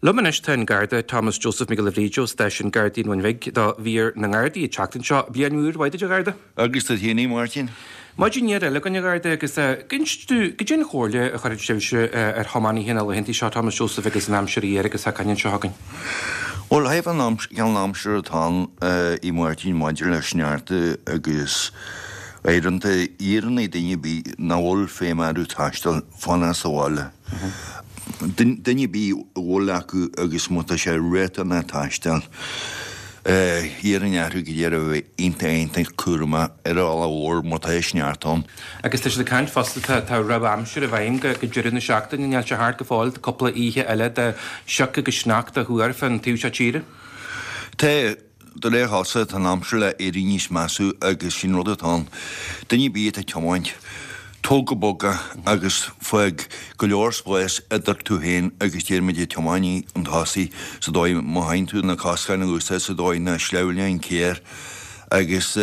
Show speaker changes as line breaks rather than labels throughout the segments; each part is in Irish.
Liom anois tá an Garda Thomas Joseph Mac Giolla Bhríde ó Stáisiún Gardaí an Bhun Bhig do mhír na nGardaí an tseachtain seo. Bliain úr mhaith duit a Gharda.
Agus duit féin a Mháirtín.
Maidin fhuar eile againn a Gharda agus inis dúinn goidé an chomhairle a chuirfeadh sibhse ar thiománaithe na laethanta seo Thomas Joseph agus an aimsir fhuar agus tá againn anseo chugainn.
Bhuel, thaobh an cineál aimsire atá ann a Mháirtín maidir le sneachta agus uaireanta iarrann duine ar bith nach bhfuil feidhm orthu taisteal fanacht sa bhaile. Duine ar bith a bhfuil acu agus má tá sé riachtanach taisteal, iarrainn orthu go díreach a bheith iontach iontach cúramach ar an bhealach mhór má tá sneachta ann.
Agus tá siad ag caint fosta, tá tá rabhadh aimsire i bhfeidhm go go deireadh na seachtaine, níl sé thart go fóill, tá cúpla oíche eile de shioc agus sneachta á thuar fán taobh seo tíre.
Tá. De réir cosúlachta, tá an aimsir le éirí níos measa agus sin rud atá ann. Duine ar bith atá ag tiomáint, tóg go bog é agus fág go leor spáis idir tú féin agus déarfaimid an tiománaí chun tosaigh sa dóigh má théann tú na coscáin a úsáid sa dóigh nach sleamhnaíonn an carr agus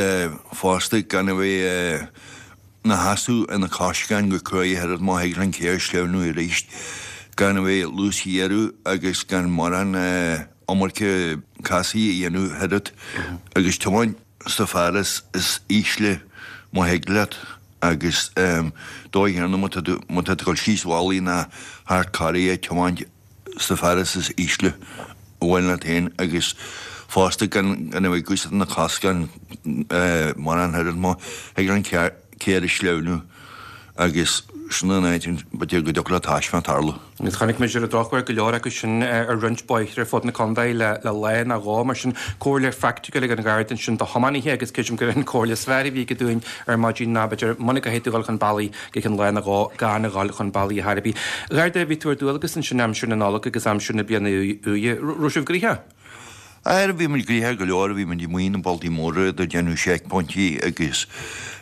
fosta gan a bheith ina sheasamh ar na coscáin go cruaidh oiread má thig leis an carr sleamhnú arís gan a bheith luasghéarú agus gan mórán iomarca casaidh a dhéanamh oiread agus tiomáint sa fearas is ísle má thig leat agus dóigh chéanna má tá tú má tá tú ag dul síos mhalaí ná thart carraig tiomáint sa fearas is ísle a bhain leat féin agus fosta gan gan a bheith ag úsáid na coscáin mórán oiread má thig an carr a sleamhnú agus sin an áit b'fhéidir go dtiocfadh le taisme tarlú.
Agus chonaic muid ar an drochuair go leor acu sin ar roinnt bóithre ar fud na contae le lá nó dhó, mar sin comhairle phraiticiúil ag an Gharda ansin do thiománaithe agus creidim gur an chomhairle is fearr a bhí aige dúinn ar maidin ná b'fhéidir muna gcaithfidh tú dhul chun bealaigh go ceann lá nó dhó gan a dhul chun bealaigh ar chor ar bith. A Gharda, bhí tú ar dualgas ansin aimsir na Nollag agus aimsir na bliana úire. Raibh sibh gnoitheach?
Aye, bhí muid gnoitheach go leor, bhí muid amuigh na bealtaí móra ag déanamh seicphointí agus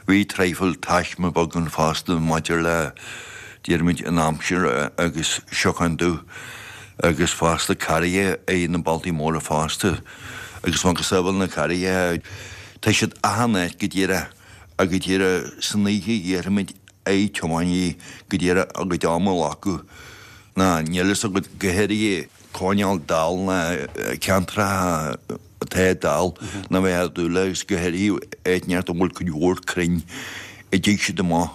bhí traidhfil taisme beag ann fosta maidir le, déarfaimid, an aimsir agus siocán dubh agus fosta carraithe ar na bealtaí móra fosta agus macasamhail na carraithe, tá siad achan áit go díreach agus go díreach san oíche iarraimid ar tiománaithe go díreach a gcuid ama a ghlacadh ná níl fhios agat go háirithe coinneáil dall ná ceantracha atá dall ná bheith á dúil agus go háirithe áit inteacht a bhfuil cuid mhór crainn a dtig siad amach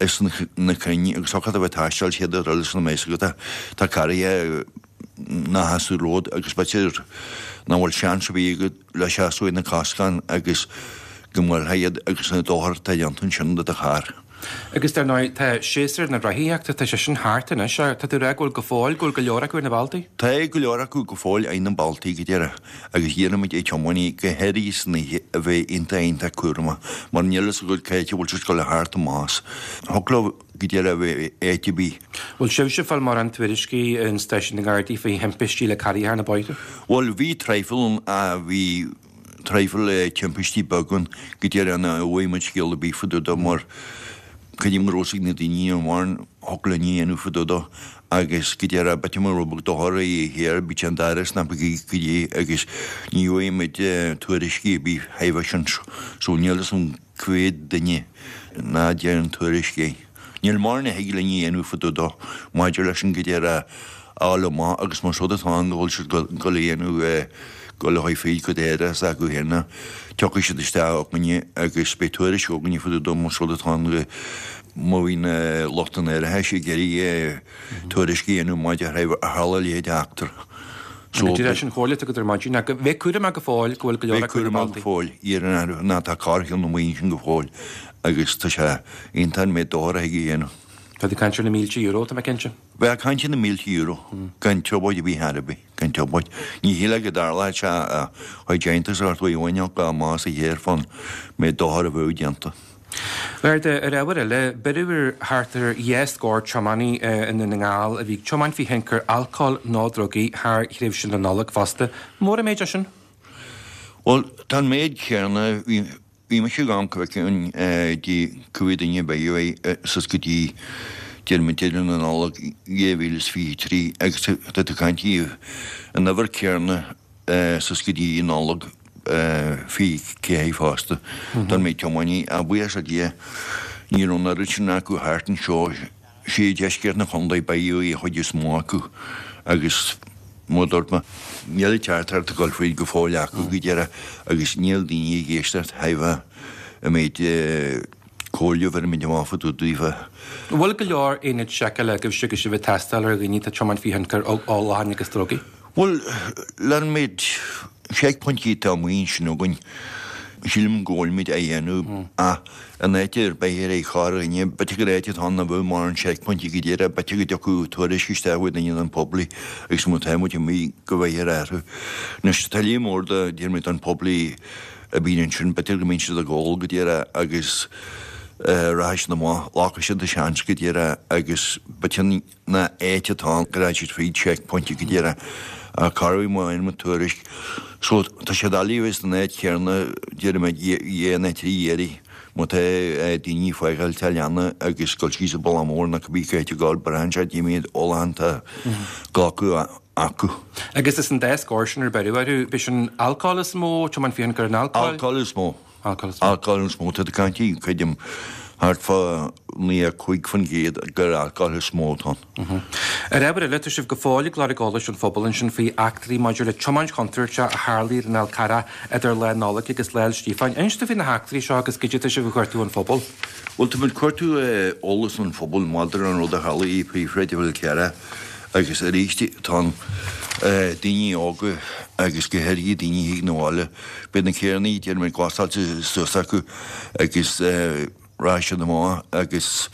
as na crainn agus thiocfadh a bheith taisteal siad ar eolas na mbeidh agat tá carraithe ná sheasamh romhat agus b'fhéidir nach bhfuil seans ar bith agat le seasamh ar na coscáin agus go mbuailfeá iad agus an dochar atá déanta ansin do do charr.
Agus dar ndóigh, tá séasúr na rothaíochta, tá sé sin thart anois, tá tú ag rá go bhfuil go fóill, go bhfuil go leor acu ar na bealtaí?
Tá go leor acu go fóill ar na bealtaí go díreach agus iarraimid ar tiománaithe, go háirithe san oíche, a bheith iontach iontach cúramach mar níl fhios agat cá háit a bhfuil siad ag dul a theacht amach as. Thiocfadh leo go díreach a bheith áit ar bith.
Bhfuil sibhse ag fáil mórán tuairiscí in stáisiún na nGardaí faoi thimpistí le carraithe ar na bóithre?
Bhuel, bhí traidhfil ann, bhí traidhfil timpistí beaga ann go díreach nach bhfuair muid scéal ar bith fá dtaobh dó mar creidim go raibh fhios ag na daoine an mhór thiocfadh linn a dhéanamh fá dtaobh dó agus go díreach b'fhéidir mura raibh dochar ar thiar bhí sé an dara snap go dtí agus ní bhfuair muid tuairiscí ar bith thaobh sin so níl fhios agam cá mhéad duine ná déanann tuairisc é. Níl mórán a thig linn a dhéanamh fá dtaobh dó maidir leis an go díreach a fháil amach agus más rud atá ann go bhfuil siad ag dul a dhéanamh dul a chuir fríd go deireadh s'acu féin tiocfaidh siad isteach chugainne agus beidh tuairisc againne fá dtaobh dó más rud atá ann go má bhíonn lucht an árachais ag iarraidh tuairisc a dhéanamh maidir le tharla a leithéid d'eachtra.
So, Go díreach sin chomhairle agat ar maidin ach bheith cúramach go fóill go bhfuil go leor acu ar na
bealtaí. Bheith cúramach go fóill, iarraidh orthu ná tá carr na maoin sin go fóill agus tá sé iontach an méid dochair a thig a dhéanamh.
Tá tú ag caint ar na mílte euro, tá mé cinnte.
Bheith ag caint ar na mílte euro, gan trioblóid ar bith ar bith, gan trioblóid. Ní shílfeá go dtarlódh sé a chuid déanta sa ghort uaidh amháin ach más a chéir fán méid dochair a bheadh déanta.
Garda, ar ábhar eile, beireadh ar thart ar dhá scór tiománaí i nDún na nGall a bhí ag tiomáint faoi thionchar alcóil nó drugaí thar thréimhse na Nollag fosta. Mór an méid é sin?
Bhuel, tá an méid céanna, bhí, bhí mise ag amharc go dtí cá mhéad duine a beireadh é suas go dtí deireadh deireadh na Nollag 2023 agus tá tú ag caint an uimhir céanna suas go dtí Nollaig 24 fosta don méid tiománaí. Ach buíochas le Dia ní raibh an oiread sin acu thart anseo. Sé deisceart na chontae beireadh an chuid is mó acu agus. Mar a dúirt mé, níl an teachtaireacht ag dul fríd go fóill acu go díreach agus níl daoine ag éisteacht thaobh an méid comhairle a bheirimid amach fá dtaobh daofa.
An bhfuil go leor aonaid seiceála agaibhse agus sibh ag tástáil ar dhaoine atá ag tiomáint faoi thionchar ólacháin agus drugaí?
Bhuel, leis an méid seicphointí atá amuigh ansin againn, sílim go bhfuilimid á dhéanamh ach in áit ar bith ar aghaidh corrdhuine, b'fhéidir gur áit atá ann nach bhfuil mórán seicphointí go díreach, b'fhéidir go dtiocfadh tuairisc isteach ó dhuine den phoiblí agus má tá muid amuigh go bhfeicthear orthu. Anois tá líon mór de, déarfaidh mé, den phoiblí a bhíonn ansin, b'fhéidir go mbíonn siad ag ól go díreach agus rachaidh siad amach, glacfaidh siad an seans go díreach agus b'fhéidir nach áit atá ann go rachaidh siad fríd checkpoint go díreach ach corruair má fhaigheann muid tuairisc so tá sé doiligh a bheith san áit chéanna déarfaidh mé dhá nó trí iarraidh má tá daoine ag fágáil teach leanna agus dul síos an bealach mór nó cibé cá háit ag gabháil braitheann sé cad é méid ólachán atá glacadh acu.
Agus is an dá scór sin ar beireadh orthu, b'é sin alcól is mó, tiomáint faoi thionchar an alcóil?
Alcól is mó. Alcól is mó. Tá tú ag caint, creidim, thart fá 95% gur alcól is mó atá
ann. Ar ábhar eile, tá sibh go fóill ag lorg eolais ón phobal ansin faoi eachtraí maidir le tiomáint chontúirteach a tharlaigh ar an Fhál Carrach idir Lá Nollag agus Lá 'le Stíofáin. Inis dúinn faoi na heachtraí seo agus goidé atá sibh ag cuartú ón phobal.
Bhuel, tá muid ag cuartú eolas ón phobal maidir an rud a tharlaigh i bPríomhshráid an Fháil Charraigh agus arís tá an daoine óga agus go háirithe daoine a thig 'na bhaile Beidh na carrannaí, déarfaidh mé, glasáilte suas acu agus rachaidh siad amach agus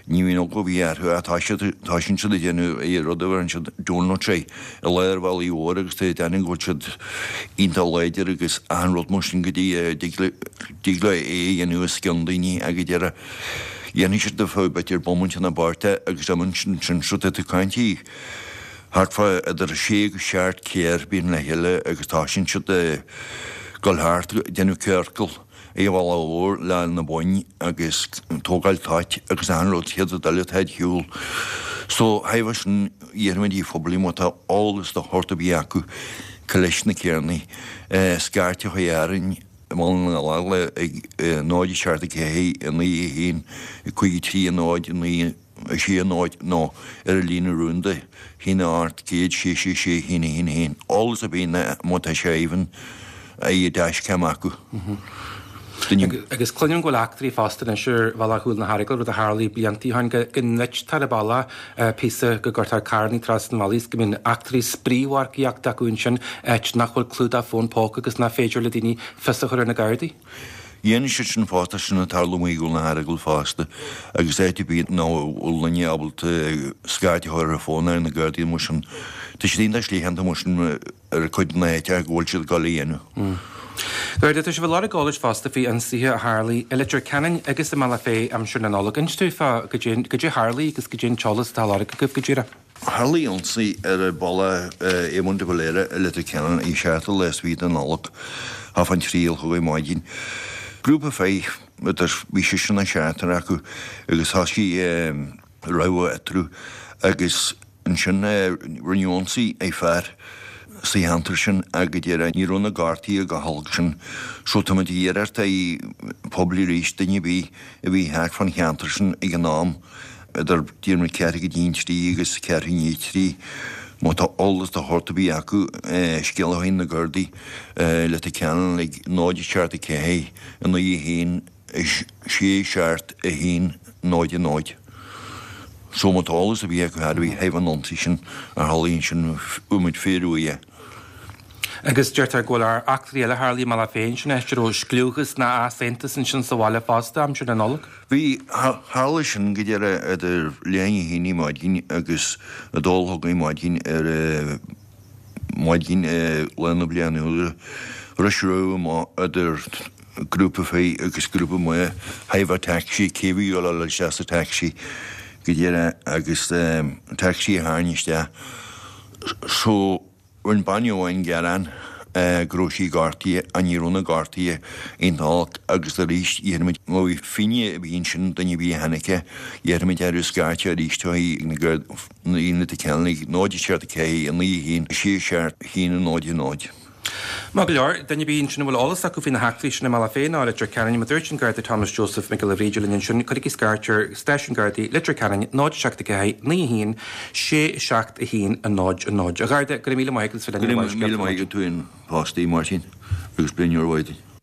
ní bhíonn eagla ar bith orthu ach tá siad, toisíonn siad ag déanamh an rud a bheireann siad donuts i lár an bhealaigh mhóir agus tá ag déanamh go bhfuil siad iontach láidir agus achan rud mar sin go dtí dtig leo é a dhéanamh os cionn daoine ag deireadh. Dhéanfaidh siad ar feadh b'fhéidir bomaite nó beirt agus imíonn siad ansin so tá tú ag caint thart fá idir sé agus seacht carr bíonn le chéile agus toisíonn siad ag dul thart ag déanamh ciorcal ar an bhealach mhór le na boinn agus tógáil toit agus achan rud chéad rud eile atá ar shiúl. So thaobh sin iarraimid ar phoiblí má tá eolas de shórt ar bith acu cá leis na carrannaí scairt a chur orainn i mBaile na nGall ag 0 7 4 9 1 5 3 0 9 6 0 nó ar an líne rúnda, 1 8 00 6 6 6 1 1 1. Eolas ar bith má tá sé even i dashcam acu.
Duine. Agus cluinim go bhfuil eachtraí fosta anois ar bhealach Chúil na hEaragail, rud a tharlaigh blianta ó shin, go ndruidtear an bealach píosa, go gcuirtear carrannaí trasna an bhealaigh is go mbíonn eachtraí spraoi-mharcaíochta acu ansin, áit nach bhfuil clúdach fón póca agus nach féidir le daoine fios a chur ar na Gardaí.
Dhéanann siad sin fosta, sin ag tarlú amuigh i gCúil na hEaragail fosta agus áit ar bith nach bhfuil duine ábalta scairt a chur ar an bhfón ar na Gardaí mar sin. Tá siad iontach slítheánta mar sin ar cuid de na háiteacha go bhfuil siad ag dul a dhéanamh.
Garda, tá sibh ag lorg eolais fosta faoi ionsaithe a tharlaigh i Leitir Ceanainn agus i mBealach Féich aimsir na Nollag. Inis dúinn fá goidé goidé a tharlaigh agus goidé an t-eolas atá á lorg agaibh go díreach.
Tharlaigh ionsaí ar bhealach Éamon de Valera i Leitir Ceanainn ar an seachtú lá is fiche de Nollaig, thart fán triú a chlog ar maidin. Grúpa fir, idir, bhí seisear nó seachtar acu agus thosaigh rabhadh eatarthu agus ansin rinneadh ionsaí ar fear sa cheantar sin ach go díreach ní raibh na gortuithe chomh holc sin so tá muid ag iarraidh ar an phobal arís duine ar bith a bhí thart fán cheantar sin ag an am idir déarfaidh mé ceathrú go dtí an trí agus ceathrú i ndiaidh a trí. Má tá eolas de shórt ar bith acu, scéala a chur chuig na Gardaí i Leitir Ceanainn ag 0 7 4 9 1 6 7 1 0 0. So má tá eolas ar bith acu thar thaobh an ionsaí sin a tharlaigh ansin, bheadh muid fíorbhuíoch.
Agus deirtear go bhfuil eachtraí eile a tharlaigh i mBealach Féich ansin, áit a raibh scliúchas ná easaontas ansin sa bhaile fosta aimsir na Nollag.
Bhí, tharla sin go díreach idir leath i ndiaidh a haon ar maidin agus a dó a chlog ar maidin ar maidin Lá na Bliana Úire. Rinne rabhadh amach idir grúpa fir agus grúpa mná thaobh an taxi, cé a bhí ag dul isteach sa taxi go díreach agus taxi a tharraing isteach. So. Rinne bean amháin gearán go raibh sí gortaithe ach ní raibh na gortuithe iontach olc agus arís iarraimid má bhí finné ar bith ansin, duine ar bith a chonaic é, iarraimid orthu scairt arís chuig na Gardaí i Leitir Ceanainn ag 0 7 4 9 1 6 7 1 0 0.
Maith go leor, duine ar bith ansin a bhfuil eolas acu faoi na heachtraí sin i mBealach Féich ná Leitir Ceanainn, mar a dúirt an Garda Thomas Joseph Mac Giolla Bhríde linn ansin, cuirigí scairt ar Stáisiún Gardaí Leitir Ceanainn 0 7 4 9 1 6 7 1 0 0. A Gharda, go raibh míle maith agat as bheith linn
ar Go raibh míle maith agat tú féin fosta, Máirtín, agus bliain úr mhaith duit.